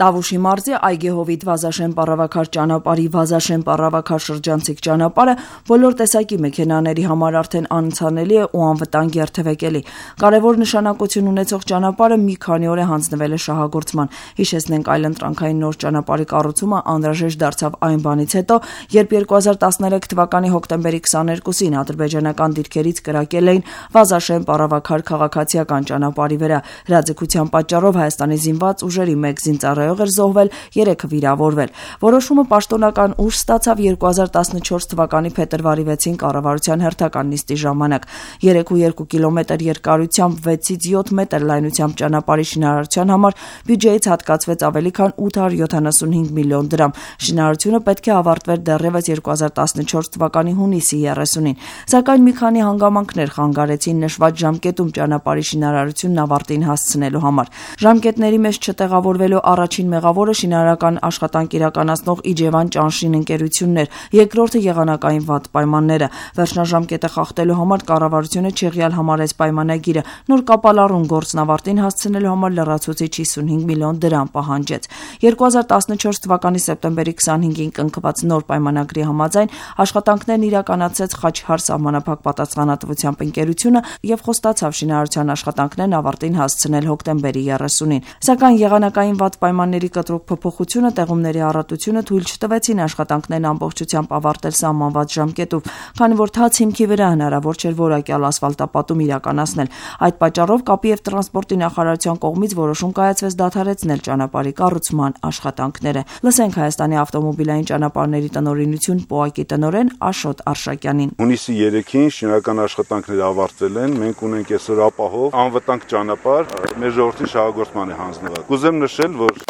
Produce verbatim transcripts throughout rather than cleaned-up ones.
Տավուշի մարզի Այգեհովիտ Վազաշեն Պառավաքար ճանապարհի Վազաշեն Պառավաքար շրջանցիկ ճանապարհը բոլոր տեսակի մեքենաների համար արդեն անցանելի է ու անվտանգ երթևեկելի։ Կարևոր նշանակություն ունեցող ճանապարհը մի քանի օր է հանձնվել է շահագործման։ Հիշեցնենք, այլընտրանքային նոր ճանապարհի կառուցումը անհրաժեշտ դարձավ այն բանից հետո, երբ երկու հազար տասներեք թվականի հոկտեմբերի քսաներկուսին ադրբեջանական դիրքերից կրակել էին Վազաշեն Պառավաքար քաղաքացիական ճանապարհի վրա։ Հրաձգության պատճառով Հայաստանի զինված ուժերի մեկ զինծառայող էր զոհվել, երեքը վիրավորվել։ Որոշումը պաշտոնական ուժ ստացավ երկու հազար տասնչորս թվականի փետրվարի վեցին կառավարության հերթական նիստի ժամանակ։ երեք ու երկու կիլոմետր երկարությամբ վեցից յոթ մետր լայնությամբ ճանապարհի շինարարության համար բյուջեից հատկացվեց ավելի քան ութ հարյուր յոթանասունհինգ միլիոն դրամ։ Շինարարությունը պետք է ավարտվեր դեռևս երկու հազար տասնչորս թվականի հունիսի երեսունին։ Սակայն մի քանի հանգամանքներ խանգարեցին նշված ժամկետում ճանապարհի շինարարությունն ավարտին հասցնելու համար։ Ժամկետների մեջ չտեղավորվելու առաջին մեղավորը շինարարական աշխատանք իրականացնող Իջևան Ճանշին ընկերությունն էր, երկրորդը եղանակային վատ պայմանները։ Վերջնաժամկետը խախտելու համար կառավարությունը չեղյալ համարեց պայմանագիրը, նոր կապալառուն գործն ավարտին հասցնելու համար լրացուցիչ հիսունհինգ միլիոն դրամ պահանջեց։ երկու հազար տասնչորս թվականի սեպտեմբերի քսանհինգին կնքված նոր պայմանագրի համաձայն աշխատանքներն իրականացրեց Խաչհար սահմանափակ պատասխանատվությամբ ընկերությունը եւ խոստացավ շինարարության աշխատանքներն ավարտին հասցնել հոկտեմբերի երեսունին։ Սակայն եղանակային վատ պայմանների կտրուկ փոփոխությունը, տեղումների առատությունը թույլ չտվեցին աշխատանքներն ամբողջությամբ ավարտել սահմանված ժամկետով, քանի որ թաց հիմքի վրա հնարավոր չէր որակյալ ասֆալտապատում իրականացնել։ Այդ պատճառով կապի եւ տրանսպորտի նախարարության կողմից որոշում կայացվեց դադարեցնել ճանապարհի կառուցման աշխատանքները։ Լսենք Հայաստանի ավտոմոբիլային ճանապարհների տնօրինություն ՊՕԱԿ-ի տնօրեն Աշոտ Արշակյանին։ Հունիսի երեքին շինարարական աշխատանքները ավարտվել են, մենք ունենք այսօր ապահով անվտանգ ճանապարհ մեր ժողովրդի շահագործման է հանձնված։ Կուզեմ նշել, որ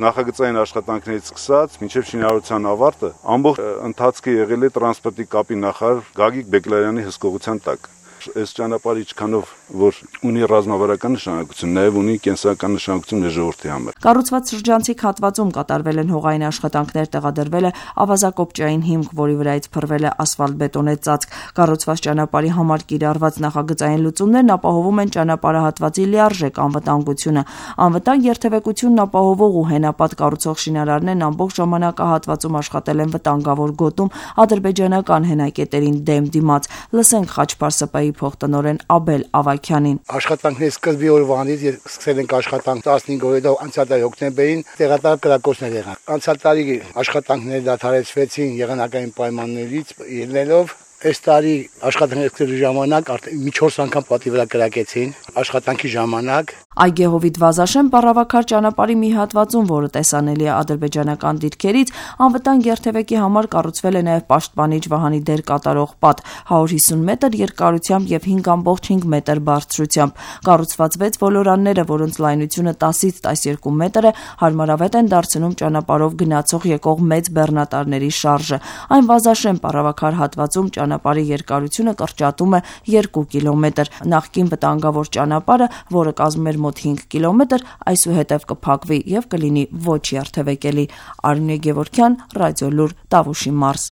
նախագծային աշխատանքներից սկսած մինչև շինարարության ավարտը ամբողջ ընթացքը եղել է տրանսպորտի կապի նախարար Գագիկ Բեկլարյանի հսկողության տակ։ Այս ճանապարհը ինչքանով որ ունի ռազմավարական նշանակություն, նաև ունի կենսական նշանակություն մեր ժողովրդի համար։ Կառուցված շրջանցիկ հատվածում կատարվել են հողային աշխատանքներ, տեղադրվել է ավազակոպճային հիմք, որի վրայից փռվել է ասֆալտ-բետոնե ծածկ։ Կառուցված ճանապարհի համար կիրառված նախագծային լուծումներն ապահովում են ճանապարհահատվածի լիարժեք անվտանգությունը։ Անվտանգ երթևեկությունն ապահովող ու հենապատ կառուցող շինարարներն ամբողջ ժամանակահատվածում աշխատել են վտանգավոր գոտում ադրբեջանական հենակետերին դեմ դիմաց։ Լսենք Խաչփար ՍՊ-ի փոխտնօրեն Աբել Ավագյանին։ Աշխատանքների սկզբի օրվանից սկսել ենք աշխատանք տասնհինգ օրը անցյալ տարի հոկտեմբերին տեղատար կրակոցներ եղան։ Անցյալ տարի աշխատանքները դադարեցվեցին եղանակային պայմաններից ելնելով։ Այս տարի աշխատանքների ժամանակ արդեն մի չորս անգամ պատի վրա կրակեցին աշխատանքի ժամանակ։ Այգեհովիտ Վազաշեն Պառավաքար ճանապարհի մի հատվածում, որը տեսանելի է ադրբեջանական դիրքերից, անվտանգ երթևեկի համար կառուցվել է նաև պաշտպանիչ վահանի դեր կատարող պատ հարյուր հիսուն մետր երկարությամբ եւ հինգ կoma հինգ մետր բարձրությամբ։ Կառուցված վեց ոլորանները, որոնց լայնությունը տասից տասներկու մետր է, հարմարավետ են դարձնում ճանապարհով գնացող եկող մեծ բեռնատարների շարժը։ Այն Վազաշեն Պառավաքար հատվածում ճանապարհի երկարությունը կրճատում է երկու կիլոմետր։ Նախկին վտանգավոր ճանապարհը, որը կազմում էր մոտ հինգ կիլոմետր, այսուհետև կփակվի եւ կլինի ոչ երթևեկելի։ Արմինե Գևորգյան, Ռադիոլուր, Տավուշի մարզ։